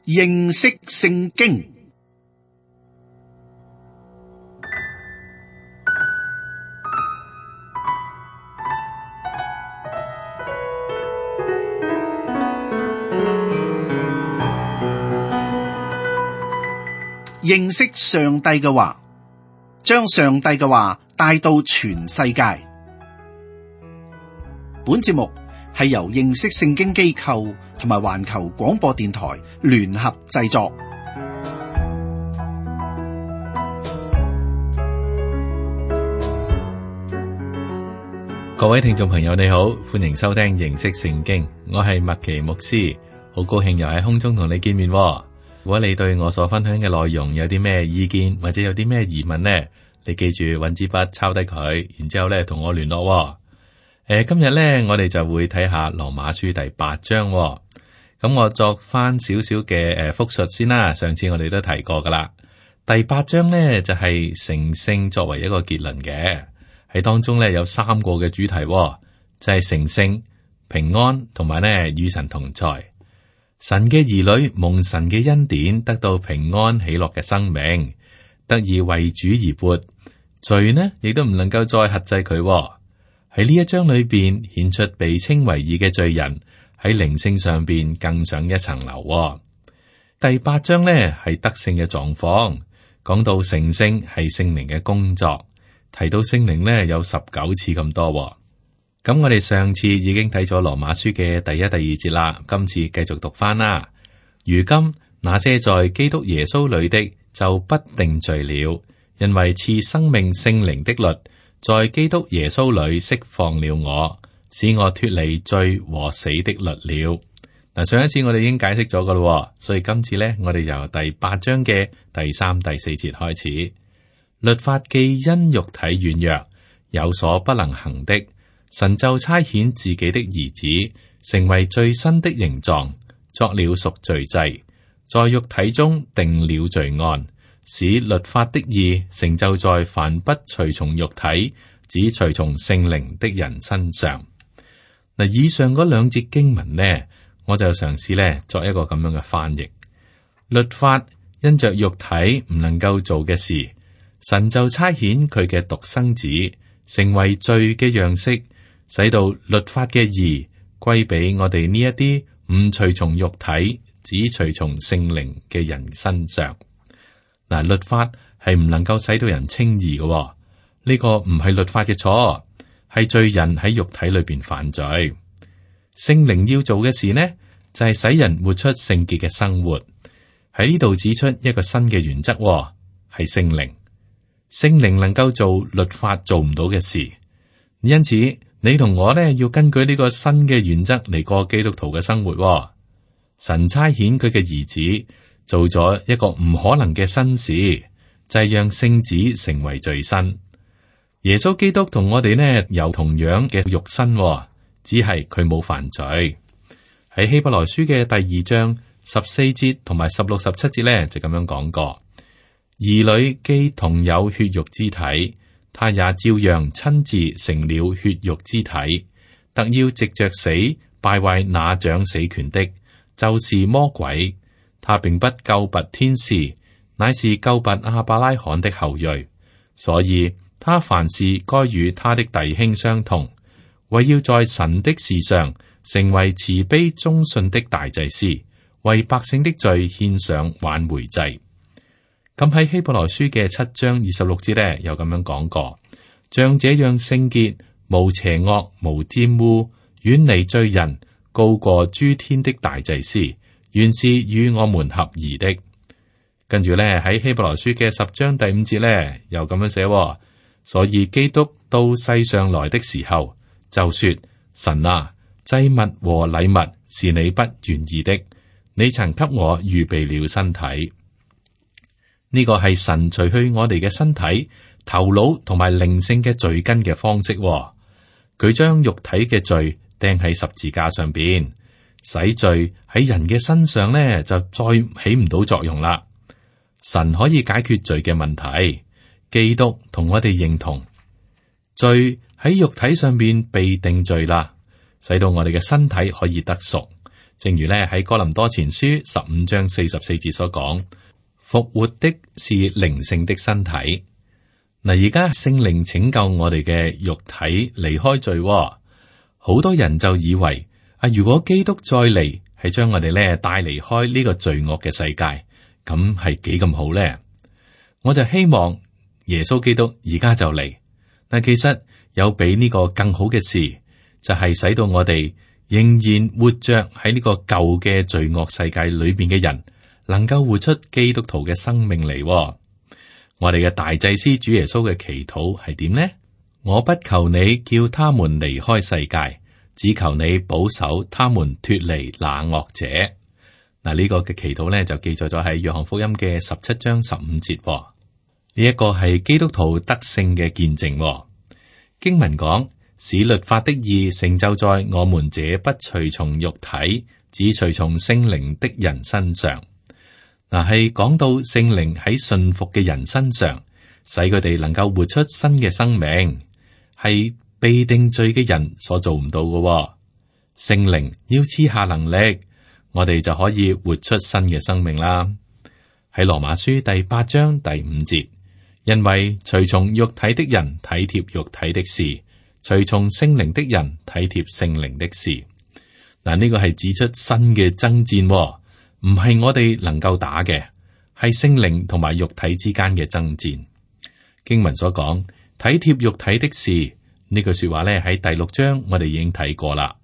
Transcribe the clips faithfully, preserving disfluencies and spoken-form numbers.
認識聖經。認識上帝嘅話，將上帝嘅話帶到全世界。本節目係由認識聖經機構同埋環球廣播電台聯合製作。各位聽眾朋友，你好，歡迎收聽認識聖經。我係麥奇牧師，好高興又喺空中同你見面。如果你對我所分享嘅內容有啲咩意見，或者有啲咩疑問呢，你記住搵支筆抄低佢，然之後咧同我聯絡。誒、呃，今日咧我哋就會睇下羅馬書第八章。咁我作翻少少嘅誒複述先啦。上次我哋都提過噶啦。第八章咧就係成聖作為一個結論嘅，喺當中咧有三個嘅主題，就係成聖、平安同埋咧與神同在。神嘅兒女蒙神嘅恩典，得到平安喜樂嘅生命，得以為主而活。罪呢，亦都唔能夠再轄制佢。喺呢一章裏邊顯出被稱為義嘅罪人喺靈性上邊更上一層樓。第八章呢係得勝嘅狀況，講到成聖係聖靈嘅工作，提到聖靈呢有十九次咁多。咁我哋上次已經睇咗羅馬書嘅第一、第二節啦，今次繼續讀翻啦。如今那些在基督耶穌裏的就不定罪了，因為賜生命聖靈的律在基督耶穌裏釋放了我，使我脫離罪和死的律了。嗱，上一次我哋已經解釋咗噶啦，所以今次呢，我哋由第八章嘅第三、第四節開始。律法既因肉體軟弱，有所不能行的，神就差遣自己的兒子，成為最新的形狀，作了贖罪祭，在肉體中定了罪案，使律法的義成就在凡不隨從肉體，只隨從聖靈的人身上。嗱，以上嗰兩節經文呢，我就嘗試咧作一個咁樣嘅翻譯。律法因着肉體唔能夠做嘅事，神就差遣佢嘅獨生子，成為罪嘅樣式，使到律法嘅義歸俾我哋呢一啲唔隨從肉體，只隨從聖靈嘅人身上。嗱，律法係唔能夠使到人稱義嘅，呢、這個唔係律法嘅錯，係罪人喺肉體裏邊犯罪。聖靈要做嘅事呢，就係、是、使人活出聖潔嘅生活。喺呢度指出一個新嘅原則，係聖靈。聖靈能夠做律法做唔到嘅事，因此你同我呢，要根據呢個新嘅原則嚟過基督徒嘅生活。神差遣佢嘅兒子做咗一個唔可能嘅新事，就係、是、讓聖子成為罪身。耶穌基督同我哋呢有同樣嘅肉身，只係佢冇犯罪。喺希伯來書嘅第二章十四節同埋十六、十七節呢，就咁樣講過：兒女既同有血肉之體，他也照樣親自成了血肉之體，特要藉着死敗壞那掌死權的，就是魔鬼。他並不救拔天使，乃是救拔亞伯拉罕的後裔。所以他凡事該與他的弟兄相同，為要在神的事上成為慈悲忠信的大祭司，為百姓的罪獻上挽回祭。咁喺希伯來書嘅七章二十六節呢，有咁樣講過：像這樣聖潔、無邪惡、無沾污、遠離罪人、高過諸天的大祭司，原是與我們合宜的。跟住呢，喺希伯來書嘅十章第五節呢，又咁樣寫：所以基督到世上來的時候，就說：神啊，祭物和禮物是你不願意的，你曾給我預備了身體。呢個係神除去我哋嘅身體、頭腦同埋靈性嘅罪根嘅方式。佢將肉體嘅罪釘喺十字架上邊，使罪喺人嘅身上呢就再起唔到作用啦。神可以解決罪嘅問題，基督同我哋認同，罪喺肉體上邊被定罪啦，使到我哋嘅身體可以得贖，正如咧喺哥林多前書十五章四十四節所講，復活的是靈性的身體。嗱，而家聖靈拯救我哋嘅肉體離開罪，好多人就以為啊，如果基督再嚟，係將我哋咧帶離開呢個罪惡嘅世界，咁係幾咁好咧？我就希望耶穌基督而家就嚟。但其實有比呢個更好嘅事，就係使到我哋仍然活着喺呢個舊嘅罪惡世界裏邊嘅人，能夠活出基督徒嘅生命嚟。我哋嘅大祭司主耶穌嘅祈禱係點呢？我不求你叫他們離開世界，只求你保守他們脫離那惡者。嗱，呢個嘅祈禱咧就記載咗喺約翰福音嘅十七章十五節。呢一個係基督徒得勝嘅見證。經文講，使律法的義成就在我們這不隨從肉體，只隨從聖靈的人身上。嗱，係講到聖靈喺信服嘅人身上，使佢哋能夠活出新嘅生命，係被定罪嘅人所做唔到嘅。聖靈要賜下能力，我哋就可以活出新嘅生命啦。喺羅馬書第八章第五節，因為隨從肉體的人體貼肉體的事，隨從聖靈的人體貼聖靈的事。嗱，呢個係指出新嘅爭戰。唔係我哋能夠打嘅，係聖靈同埋肉體之間嘅爭戰。經文所講體貼肉體的事呢句說話咧，喺第六章我哋已經睇過啦。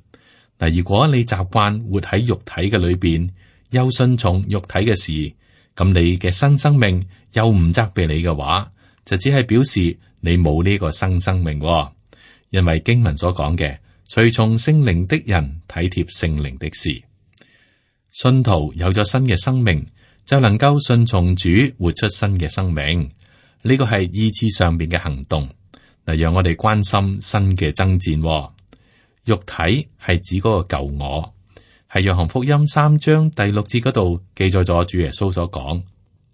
嗱，如果你習慣活喺肉體嘅裏邊，又順從肉體嘅事，咁你嘅新生命又唔責備你嘅話，就只係表示你冇呢個新生命。因為經文所講嘅隨從聖靈的人體貼聖靈的事。信徒有咗新嘅生命，就能夠順從主，活出新嘅生命。呢個係意志上邊嘅行動，嗱，讓我哋關心新嘅爭戰。肉體係指嗰個舊我，係約翰福音三章第六節嗰度記載咗主耶穌所講：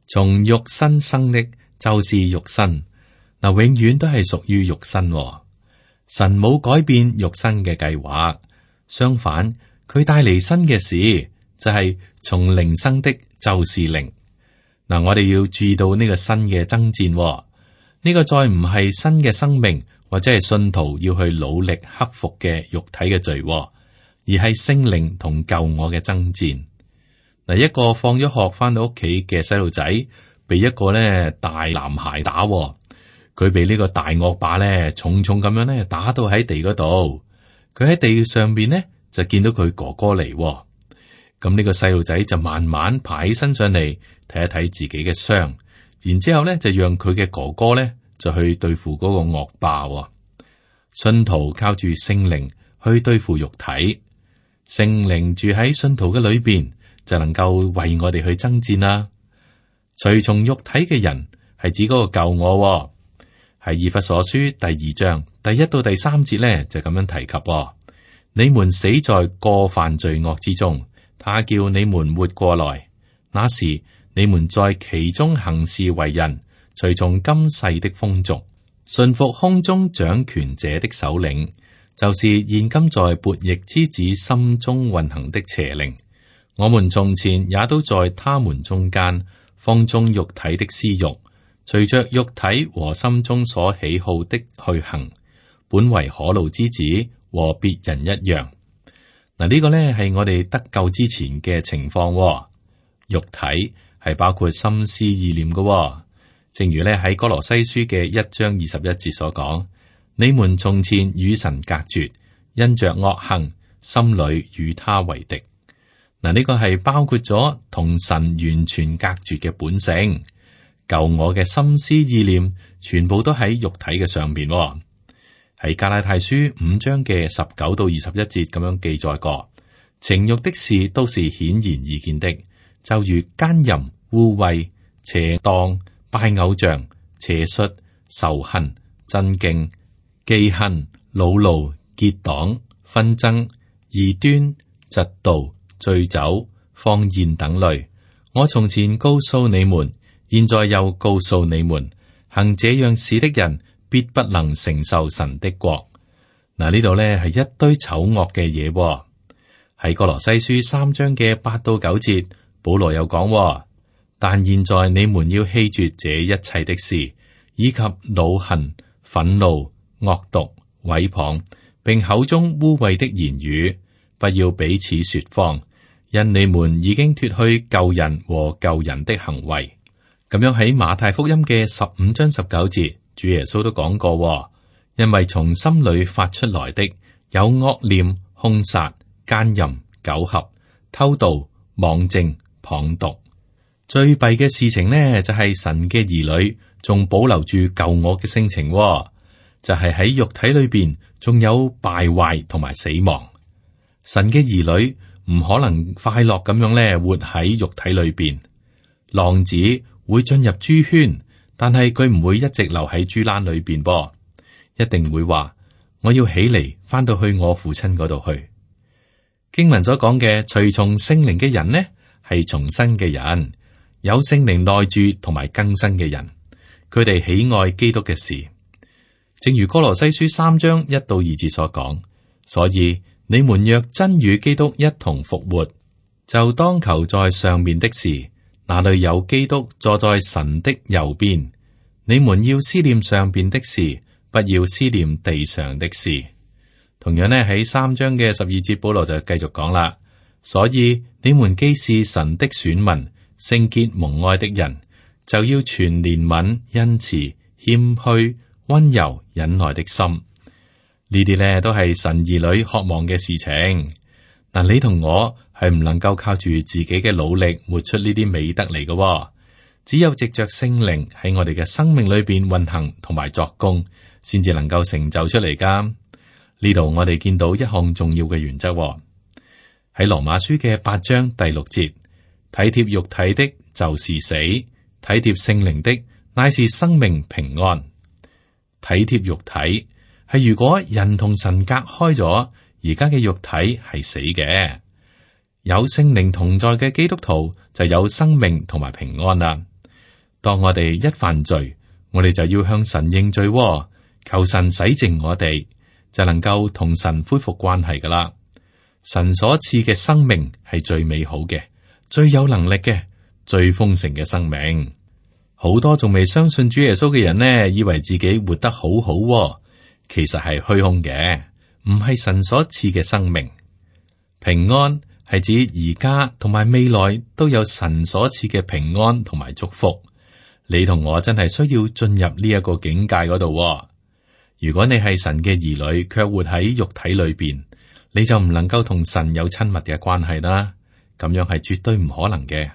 從肉身生的，就是肉身。嗱，永遠都係屬於肉身。神冇改變肉身嘅計劃，相反，佢帶嚟新嘅事。就係從靈生的，就是靈。嗱，我哋要注意到呢個新嘅爭戰，呢、這個再唔係新嘅生命，或者係信徒要去努力克服嘅肉體嘅罪，而係聖靈同舊我嘅爭戰。嗱，一個放咗學翻到屋企嘅細路仔，被一個咧大男孩打，佢被呢個大惡霸咧重重咁樣咧打到喺地嗰度，佢喺地上邊咧就見到佢哥哥嚟。咁呢個細路仔就慢慢爬起身上嚟睇一睇自己嘅傷，然之後咧就讓佢嘅哥哥咧就去對付嗰個惡霸。信徒靠住聖靈去對付肉體，聖靈住喺信徒嘅裏邊，就能夠為我哋去爭戰啦。隨從肉體嘅人係指嗰個舊我，係以弗所書第二章第一到第三節咧就咁樣提及：你們死在過犯罪惡之中。他叫你們活過來，那時你們在其中行事為人，隨從今世的風俗，順服空中掌權者的首領，就是現今在悖逆之子心中運行的邪靈。我們從前也都在他們中間，放縱肉體的私欲，隨着肉體和心中所喜好的去行，本為可怒之子，和別人一樣。嗱，呢個呢係我哋得救之前嘅情況。肉體係包括心思意念嘅，正如呢喺哥羅西書嘅一章二十一節所講：你們從前與神隔絕，因着惡行，心裏與他為敵。嗱，呢個係包括咗同神完全隔絕嘅本性，舊我嘅心思意念，全部都喺肉體嘅上邊。喺加拉太書五章嘅十九到二十一節咁樣記載過，情欲的事都是顯然易見的，就如奸淫、污穢、邪蕩、拜偶像、邪術、仇恨、爭競、忌恨、惱怒、結黨、紛爭、異端、嫉妒、醉酒、放宴等類。我從前告訴你們，現在又告訴你們，行這樣事的人，必不能承受神的國。嗱，呢度咧係一堆醜惡嘅嘢。喺喺哥羅西書三章嘅八到九節，保羅又講：但現在你們要棄絕這一切的事，以及惱恨、憤怒、惡毒、毀謗，並口中污穢的言語，不要彼此說謊，因你們已經脫去舊人和舊人的行為。咁樣喺馬太福音嘅十五章十九節，主耶穌都講過：因為從心裏發出來的有惡念、兇殺、奸淫、苟合、偷盜、妄證、謗讟。最弊嘅事情呢，就係、是、神嘅兒女仲保留住舊我嘅性情、哦，就係、是、喺肉體裏邊仲有敗壞同埋死亡。神嘅兒女唔可能快樂咁樣咧活喺肉體裏邊。浪子會進入豬圈，但係佢唔會一直留喺豬欄裏邊噃，一定會話我要起嚟翻到去我父親嗰度去。經文所講嘅隨從聖靈嘅人呢，係重生嘅人。有聖靈內住同埋更新嘅人，佢哋喜愛基督嘅事，正如哥羅西書三章一到二節所講。所以你們若真與基督一同復活，就當求在上面的事，那裏有基督坐在神的右邊。你們要思念上邊的事，不要思念地上的事。同樣呢，喺三章嘅十二節，保羅就繼續講啦。所以你們既是神的選民，聖潔蒙愛的人，就要存憐憫、恩慈、謙虛、溫柔、忍耐的心。呢啲咧都係神兒女渴望嘅事情。嗱，你同我係唔能夠靠住自己嘅努力活出呢啲美德嚟嘅，只有藉着聖靈喺我哋嘅生命裏邊運行同埋作工，先至能夠成就出嚟噶。呢度我哋見到一項重要嘅原則喺羅馬書嘅八章第六節。體貼肉體的，就是死；體貼聖靈的，乃是生命平安。體貼肉體係如果人同神隔開咗，而家嘅肉體係死嘅。有聖靈同在嘅基督徒就有生命同埋平安啦。當我哋一犯罪，我哋就要向神認罪，求神洗淨我哋，就能夠同神恢復關係噶啦。神所賜嘅生命係最美好嘅，最有能力嘅，最豐盛嘅生命。好多仲未相信主耶穌嘅人呢，以為自己活得好好，其實係虛空嘅，唔係神所賜嘅生命。平安係指而家同埋未來都有神所賜嘅平安同埋祝福。你同我真係需要進入呢一個境界嗰度。如果你係神嘅兒女，卻活喺肉體裏邊，你就唔能夠同神有親密嘅關係啦。咁樣係絕對唔可能嘅。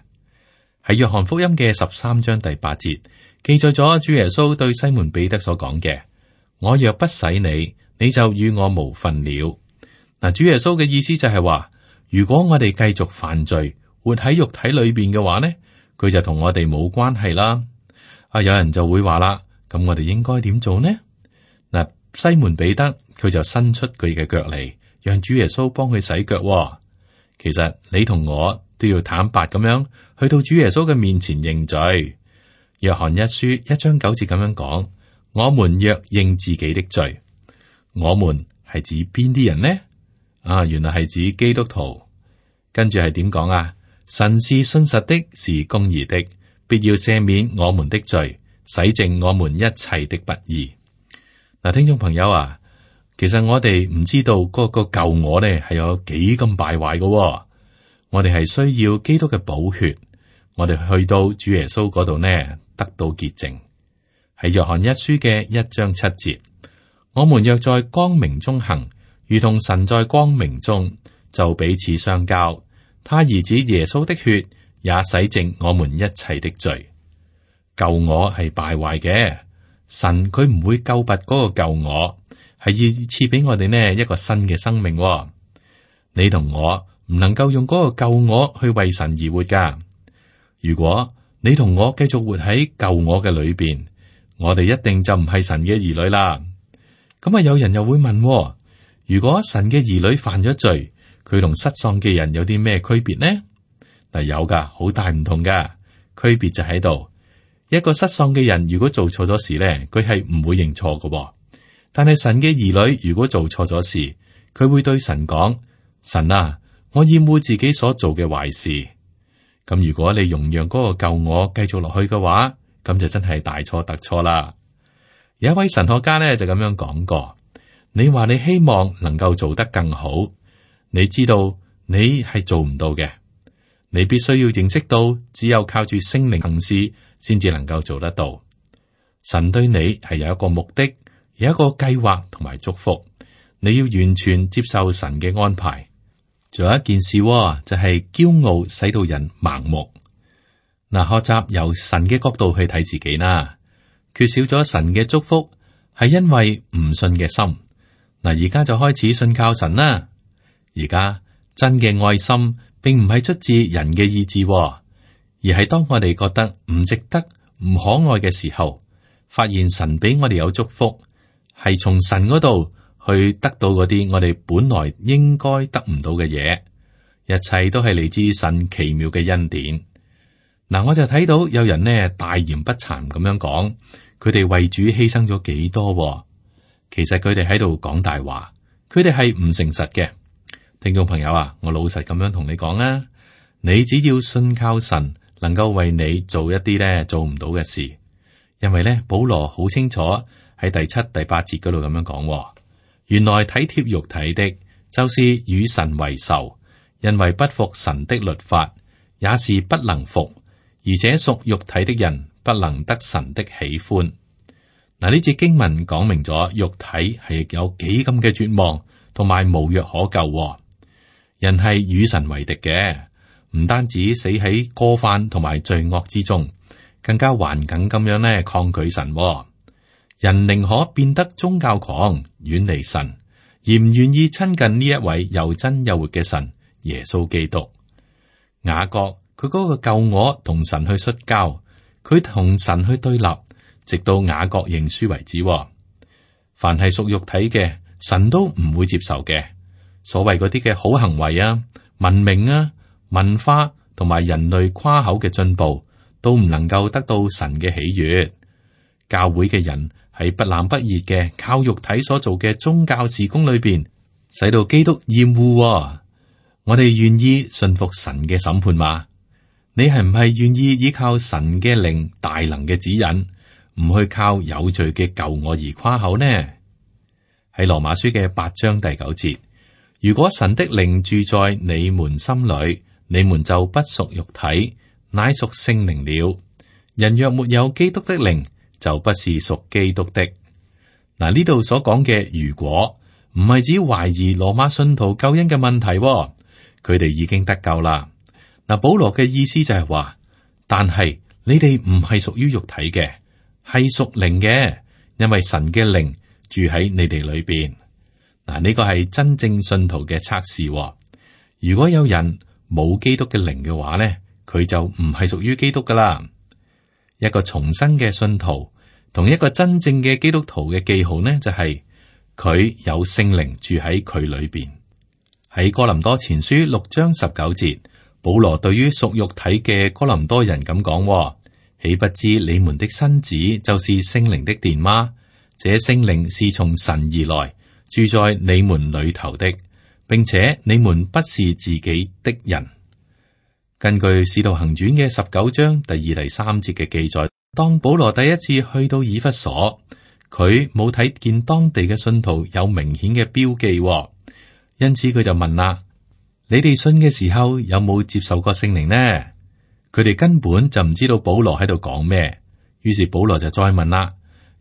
喺約翰福音嘅十三章第八節記載咗主耶穌對西門彼得所講嘅：我若不洗你，你就與我無分了。嗱，主耶穌嘅意思就係話，如果我哋繼續犯罪，活喺肉體裏邊嘅話呢，佢就同我哋冇關係啦。啊，有人就會話啦，咁我哋應該點做呢？嗱，西門彼得佢就伸出佢嘅腳嚟，讓主耶穌幫佢洗腳。其實你同我都要坦白咁樣去到主耶穌嘅面前認罪。約翰一書一章九節咁樣講：我們若認自己的罪，我們係指邊啲人呢？啊，原來係指基督徒。跟住係點講啊？神是信實的，是公義的，必要赦免我們的罪，洗淨我們一切的不義。嗱，聽眾朋友啊。其實我哋唔知道嗰個舊我咧係有幾咁敗壞嘅。我哋係需要基督嘅寶血，我哋去到主耶穌嗰度呢，得到潔淨。喺約翰一書嘅一章七節，我們若在光明中行，如同神在光明中，就彼此相交。他兒子耶穌的血也洗淨我們一切的罪。舊我係敗壞嘅，神佢唔會救拔嗰個舊我。係要賜俾我哋呢一個新嘅生命。你同我唔能夠用嗰個舊我去為神而活噶。如果你同我繼續活喺舊我嘅裏邊，我哋一定就唔係神嘅兒女啦。咁啊，有人又會問：如果神嘅兒女犯咗罪，佢同失喪嘅人有啲咩區別呢？嗱，有噶，好大唔同噶。區別就喺度，一個失喪嘅人如果做錯咗事咧，佢係唔會認錯噶。但係神嘅兒女如果做錯咗事，佢會對神講：神啊，我厭惡自己所做嘅壞事。咁如果你容讓嗰個舊我繼續落去嘅話，咁就真係大錯特錯啦。有一位神學家咧就咁樣講過：你話你希望能夠做得更好，你知道你係做唔到嘅。你必須要認識到，只有靠住聖靈行事，先至能夠做得到。神對你係有一個目的，有一個計劃同埋祝福，你要完全接受神嘅安排。仲有一件事，就係驕傲使到人盲目。嗱，學習由神嘅角度去睇自己啦，缺少咗神嘅祝福，係因為唔信嘅心。嗱，而家就開始信靠神啦。而家真嘅愛心，並唔係出自人嘅意志，而係當我哋覺得唔值得、唔可愛嘅時候，發現神俾我哋有祝福，係從神嗰度去得到嗰啲我哋本來應該得唔到嘅嘢。一切都係嚟自神奇妙嘅恩典。嗱，我就睇到有人呢大言不慚咁樣講，佢哋為主犧牲咗幾多？其實佢哋喺度講大話，佢哋係唔誠實嘅。聽眾朋友啊，我老實咁樣同你講啊，你只要信靠神，能夠為你做一啲咧做唔到嘅事。因為咧，保羅好清楚喺第七、第八節嗰度咁樣講，原來體貼肉體的，就是與神為仇，因為不服神的律法，也是不能服。而且屬肉體的人不能得神的喜歡。嗱，呢節經文講明咗肉體係有幾咁嘅絕望，同埋無藥可救。人係與神為敵嘅，唔單止死喺過犯同埋罪惡之中，更加頑梗咁樣咧抗拒神。人寧可變得宗教狂，遠離神，而唔願意親近呢一位又真又活嘅神耶穌基督。雅各。佢嗰個舊我同神去摔跤，佢同神去對立，直到雅各認輸為止。凡係屬肉體嘅，神都唔會接受嘅。所謂嗰啲嘅好行為啊、文明啊、文化同埋人類誇口嘅進步，都唔能夠得到神嘅喜悅。教會嘅人喺不冷不熱嘅靠肉體所做嘅宗教事工裏邊，使到基督厭惡。我哋願意信服神嘅審判嗎？你係唔係願意依靠神嘅靈大能嘅指引，唔去靠有罪嘅舊我而誇口呢？喺羅馬書嘅八章第九節，如果神的靈住在你們心裏，你們就不屬肉體，乃屬聖靈了。人若沒有基督的靈，就不是屬基督的。嗱，呢度所講嘅如果唔係指懷疑羅馬信徒救恩嘅問題，佢哋已經得救啦。嗱，保羅嘅意思就係話，但係你哋唔係屬於肉體嘅，係屬靈嘅，因為神嘅靈住喺你哋裏邊。嗱，呢個係真正信徒嘅測試。如果有人冇基督嘅靈嘅話咧，佢就唔係屬於基督噶啦。一個重生嘅信徒同一個真正嘅基督徒嘅記號呢，就係佢有聖靈住喺佢裏邊。喺哥林多前書六章十九節。保羅對於屬肉體嘅哥林多人咁講，豈不知你們的身子就是聖靈的殿嗎？這聖靈是從神而來，住在你們裏頭的，並且你們不是自己的人。根據《使徒行傳》嘅十九章第二、第三節嘅記載，當保羅第一次去到以弗所，佢冇睇見當地嘅信徒有明顯嘅標記，因此佢就問啦。你哋信嘅時候有冇接受過聖靈呢？佢哋根本就唔知道保羅喺度講咩，於是保羅就再問啦。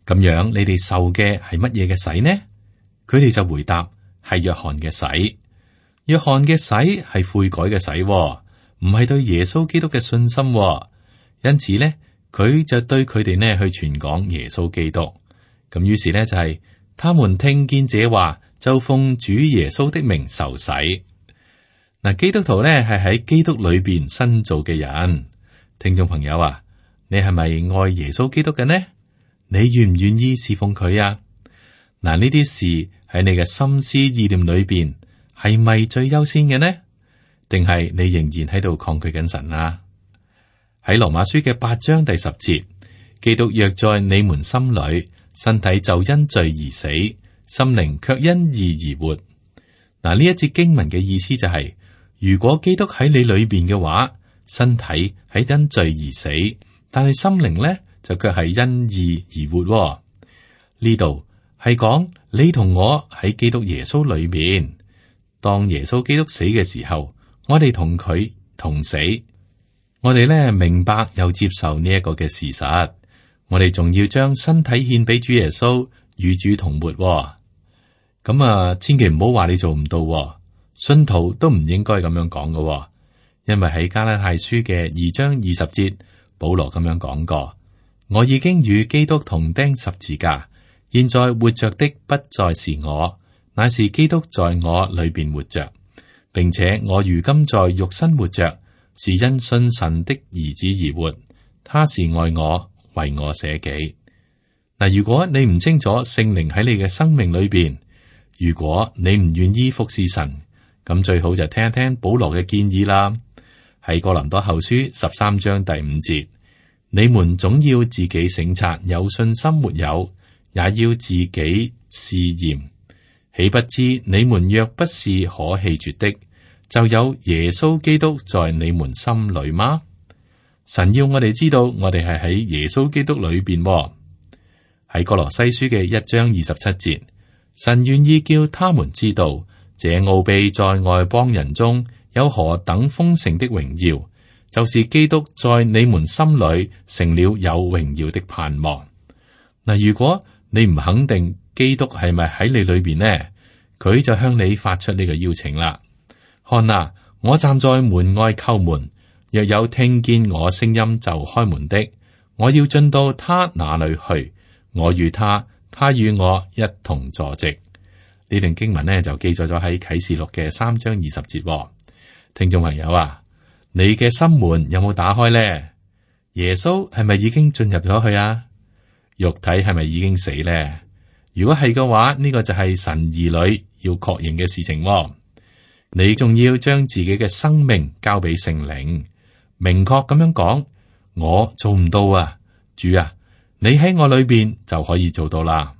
咁樣你哋受嘅係乜嘢嘅洗呢？佢哋就回答係約翰嘅洗。約翰嘅洗係悔改嘅洗，唔係對耶穌基督嘅信心。因此呢，佢就對佢哋呢去傳講耶穌基督。咁於是呢，就係、是、他們聽見這話，就奉主耶穌的名受洗。嗱，基督徒咧係喺基督裏邊新造嘅人。聽眾朋友啊，你係咪愛耶穌基督嘅呢？你願唔願意侍奉佢啊？嗱，呢啲事喺你嘅心思意念裏邊係咪最優先嘅呢？定係你仍然喺度抗拒緊神啊？喺羅馬書嘅八章第十節，基督若在你們心裏，身體就因罪而死，心靈卻因義而活。嗱，呢一節經文嘅意思就係、是。如果基督喺你裏邊嘅話，身體係因罪而死，但係心靈咧就卻係因義而活喎。呢度係講你同我喺基督耶穌裏面，當耶穌基督死嘅時候，我哋同佢同死。我哋咧明白又接受呢一個嘅事實，我哋仲要將身體獻俾主耶穌，與主同活喎。咁啊，千祈唔好話你做唔到喎，信徒都唔應該咁樣講嘅喎，因為喺加拉太書嘅二章二十節，保羅咁樣講過：我已經與基督同釘十字架，現在活着的不再是我，乃是基督在我裏邊活着，並且我如今在肉身活着，是因信神的兒子而活，他是愛我，為我捨己。嗱，如果你唔清楚聖靈喺你嘅生命裏邊，如果你唔願意服侍神，咁最好就聽一聽保羅嘅建議啦。喺哥林多後書十三章第五節，你們總要自己省察有信心沒有，也要自己試驗。豈不知你們若不是可棄絕的，就有耶穌基督在你們心裏嗎？神要我哋知道，我哋係喺耶穌基督裏邊。喺哥羅西書嘅一章二十七節，神願意叫他們知道，這奧秘在外邦人中有何等豐盛的榮耀，就是基督在你們心裏成了有榮耀的盼望。嗱，如果你唔肯定基督係咪喺你裏邊呢，佢就向你發出呢個邀請啦。看啊，我站在門外叩門，若有聽見我聲音就開門的，我要進到他那裏去，我與他，他與我一同坐席。呢段經文呢就記載咗喺啟示錄嘅三章二十節。聽眾朋友啊，你嘅心門有冇打開呢？耶穌係咪已經進入咗去啊？肉體係咪已經死呢？如果係嘅話，呢個就係神兒女要確認嘅事情。你仲要將自己嘅生命交俾聖靈，明確咁樣講：我做唔到啊，主啊，你喺我裏邊就可以做到啦。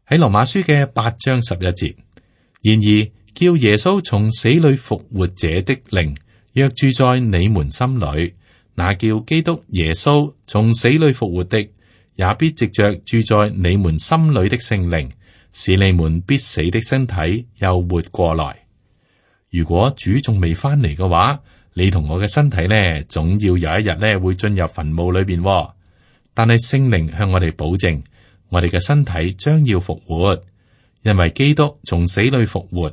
喺羅馬書嘅八章十一節，然而叫耶穌從死裏復活者的靈，若住在你們心裏，那叫基督耶穌從死裏復活的，也必藉着住在你們心裏的聖靈，使你們必死的身體又活過來。如果主仲未翻嚟嘅話，你同我嘅身體呢，總要有一日呢會進入墳墓裏邊。但係聖靈向我哋保證，我哋嘅身體將要復活，因為基督從死裏復活，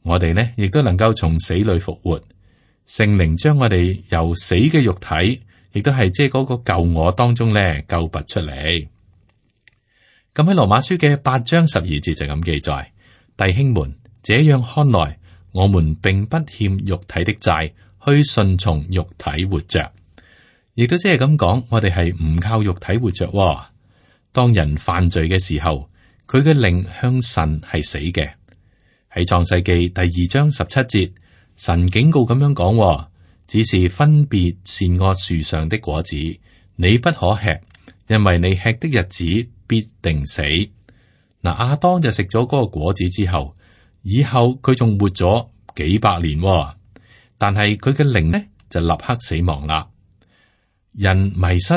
我哋呢亦都能夠從死裏復活。聖靈將我哋由死嘅肉體，亦都係即係嗰個舊我當中呢救拔出嚟。咁喺羅馬書嘅八章十二節就咁記載：弟兄們，這樣看來，我們並不欠肉體的債，去順從肉體活着。亦都即係咁講，我哋係唔靠肉體活着。當人犯罪嘅時候，佢嘅靈向神係死嘅。喺創世記第二章十七節，神警告咁樣講：只是分別善惡樹上的果子，你不可吃，因為你吃的日子必定死。嗱，亞當就食咗嗰個果子之後，以後佢仲活咗幾百年，但係佢嘅靈呢就立刻死亡啦。人迷失，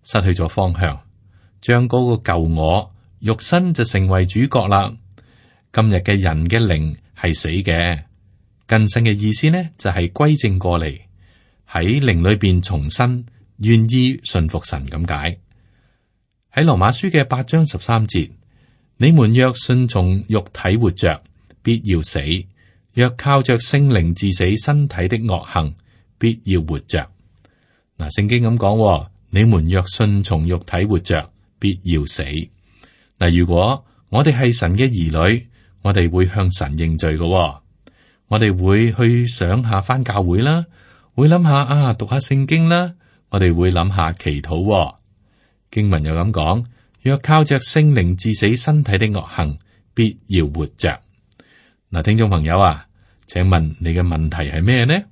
失去咗方向，將嗰個舊我肉身就成為主角啦。今日嘅人嘅靈係死嘅，更新嘅意思呢就係歸正過嚟，喺靈裏邊重新願意順服神咁解。喺羅馬書嘅八章十三節，你們若順從肉體活着，必要死；若靠着聖靈治死身體的惡行，必要活着。嗱，聖經咁講，你們若順從肉體活着，必要死。嗱，如果我哋係神嘅兒女，我哋會向神認罪嘅。我哋會去想下返教會啦，會諗下啊讀下聖經啦，我哋會諗下祈禱。經文又咁講，若靠着聖靈治死身體的惡行，必要活着。嗱，聽眾朋友啊，請問你嘅問題係咩呢？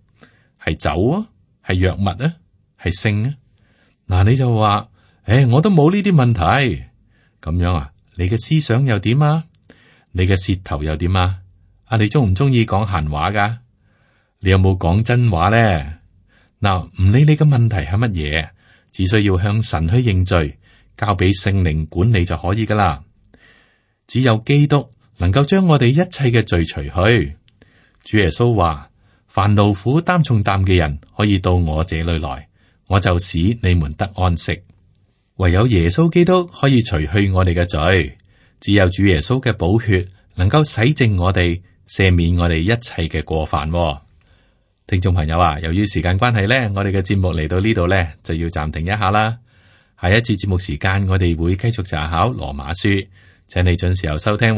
係酒啊，係藥物啊？係性啊，嗱，你就話，誒、欸，我都冇呢啲問題，咁樣啊？你嘅思想又點啊？你嘅舌頭又點啊？啊，你中唔中意講閒話噶？你有冇講真話呢？嗱，唔理你嘅問題係乜嘢，只需要向神去認罪，交俾聖靈管理就可以噶啦。只有基督能夠將我哋一切嘅罪除去。主耶穌話：凡勞苦擔重擔嘅人，可以到我這裏來，我就使你們得安息。唯有耶穌基督可以除去我哋嘅罪，只有主耶穌嘅寶血能夠洗淨我哋，赦免我哋一切嘅過犯。聽眾朋友啊，由於時間關係呢，我哋嘅節目嚟到呢度呢，就要暫停一下啦。下一次節目時間，我哋會繼續查考羅馬書，請你準時候收聽。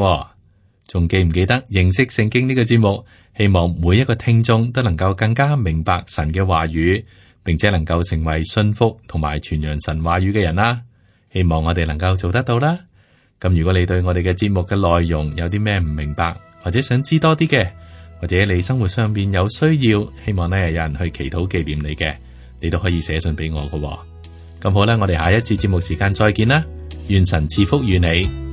仲記唔記得認識聖經呢個節目？希望每一個聽眾都能夠更加明白神嘅話語，並且能夠成為信服同埋傳揚神話語嘅人啦。希望我哋能夠做得到啦。咁如果你對我哋嘅節目嘅內容有啲咩唔明白，或者想知多啲嘅，或者你生活上邊有需要，希望呢有人去祈禱紀念你嘅，你都可以寫信俾我㗎。咁好啦，我哋下一次節目時間再見啦。願神賜福與你。